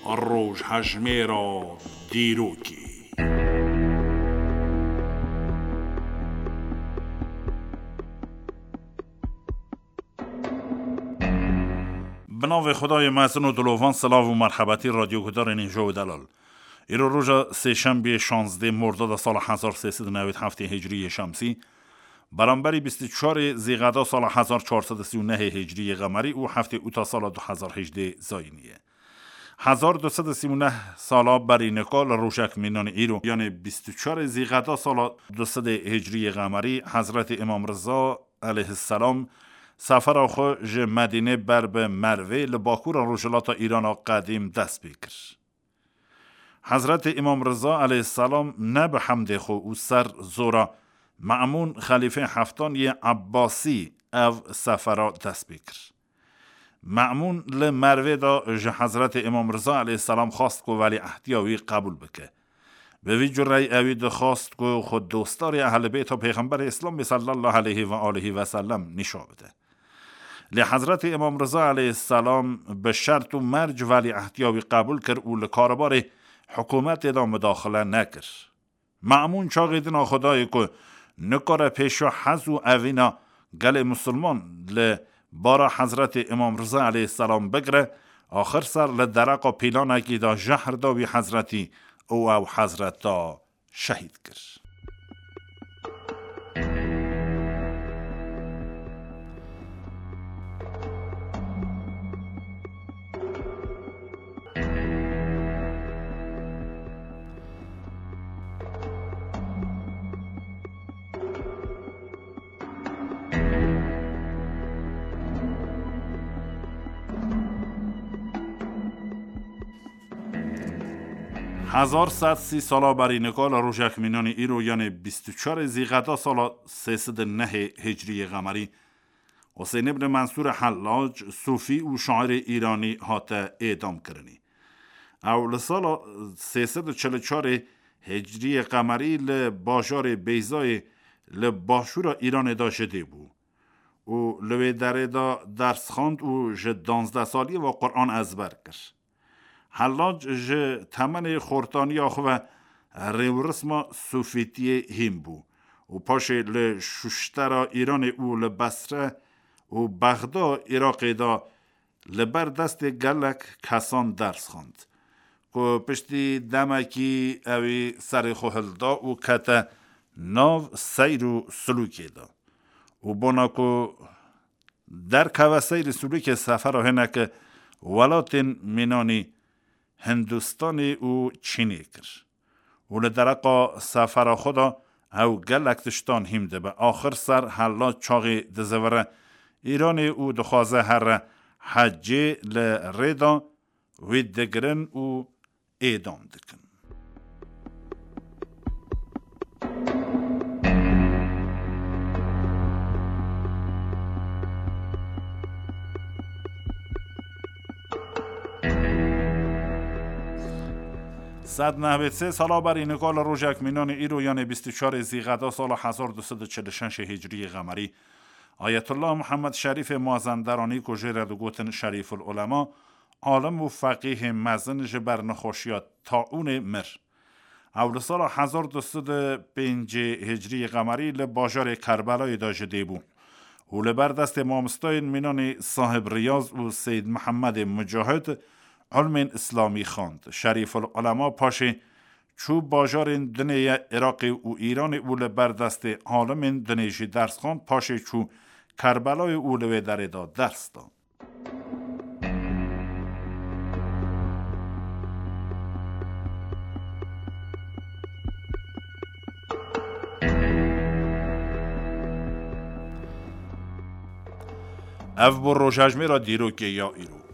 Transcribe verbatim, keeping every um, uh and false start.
Rojhejmêra dîrokê. Bi navê Xwedayê mezin û dilovan, silav û merhebetî radyogudarên hêja û delal. Îro roja sêşembiyê şazdeh Mordada sala hezar sê sed û newêd heftê hicriyê şemsî, beramberî bîst û çarê Zîqeda sala hezar çar sed û sî û nehê hicriyê qemerî û heftê Ûta sala du hezar hejdeh zayînî ye. Hezar du sed û sî û neh sala berî nika li rojek mînanî îro, yanê bîst û çarê Zîqeda sala du sedê hicriyê qemerî, Hezretî Îmam Riza aleyhisselam sefera xwe ji Medînê ber bi Mervê li bakûra rojhilata Îrana qedîm dest pê kir. Hezretî Îmam Riza aleyhisselam ne bi hemdê xwe û ser zora Me'mûn xelîfê heftan yê Ebbasî ev sefera dest pê kir. Me'mûn li Mervê de ji Hezretî Îmam Riza aleyhisselam xwest ku welîehdiya wî qebûl bike. Bi vî cureyî ewî dixwest ku xwe dostdarê Ehlibêta Pêxemberê Îslamê sallallahu aleyhi ve aleyhi ve sellem nîşa bide. Lê Hezretî Îmam Riza aleyhisselam bi şert û merc welîehdiya wî qebûl kir û li karbarê hikûmetê de mudaxile nekir. Me'mûn çaxê dina xwe dayê ku nikare pêşiya hez û evîna gelê misilman li bara Hezretî Îmam Riza aleyhisselam bigire, axir ser li dereqa pîlanekî de jehr da wî hezretî û ew hezreta şehîd kir. Hezar sed sî sala berî nika li rojek mînanî îro, yanê bîst û çarê Zîqeda sala sê sed û nehê hicriyê qemerî, Husên ibn Mensûr Hellac, sufî û şairê îranî hate êdam kirinî. Ew li sala sê sed û çil û çarê hicriyê qemerî li bajarê Beyzayê li başûra Îranê de ji dê bû û li wê derê de ders xwend û ji danzdeh saliyê ve Quran ezber kir. Hellac ji temenê xortaniya xwe ve rêwrisma sufîtiyê hîn bû û paşê li şuştera Îranê û li Besre û Bexda Iraqê de li ber destê gelek kesan ders xwend, ku piştî demekî ewî serê xwe hilda û kete nav seyr û silûkê de. Û bona ku derkeve seyr û silûkê sefera hineke welatên mînanî Hindistanê û Çînê kir. Û li dereqa sefera xwe de ew gelek tiştan hîm dibe. Axir ser Hellac çaxê dizivire Îranê û dixwaze here hecê, li rê de wî digirin û êdam dikin. Sed nehbêt sê sala berî nika li rojek mînanê îro, yanê bîst û çarê Zîqeda sala hezar du sed û çil û şeşê hicriyê qemerî, Ayetullah Muhammed Şerîfê Mazenderanî, ku jê re digotin Şerîful Ulema, alim û feqîhê mezin, ji ber nexweşiya taûnê mir. Ew li sala hezar du sed û pêncê hicriyê qemerî li bajarê Kerbelayê de ji dê bû û li ber destê mamostayên mînanî Sahib Riyaz û Seyyid Mihemedê Mucahid ilmên îslamî xwend. Şerîful Ulema paşê çû bajarên dinê ye Iraqê û Îranê û li ber destê alimên dinê jî ders xwend, paşê çû Kerbelayê û li wê derê de ders da. Ev bû rojhejmêra dîrokê ya îro.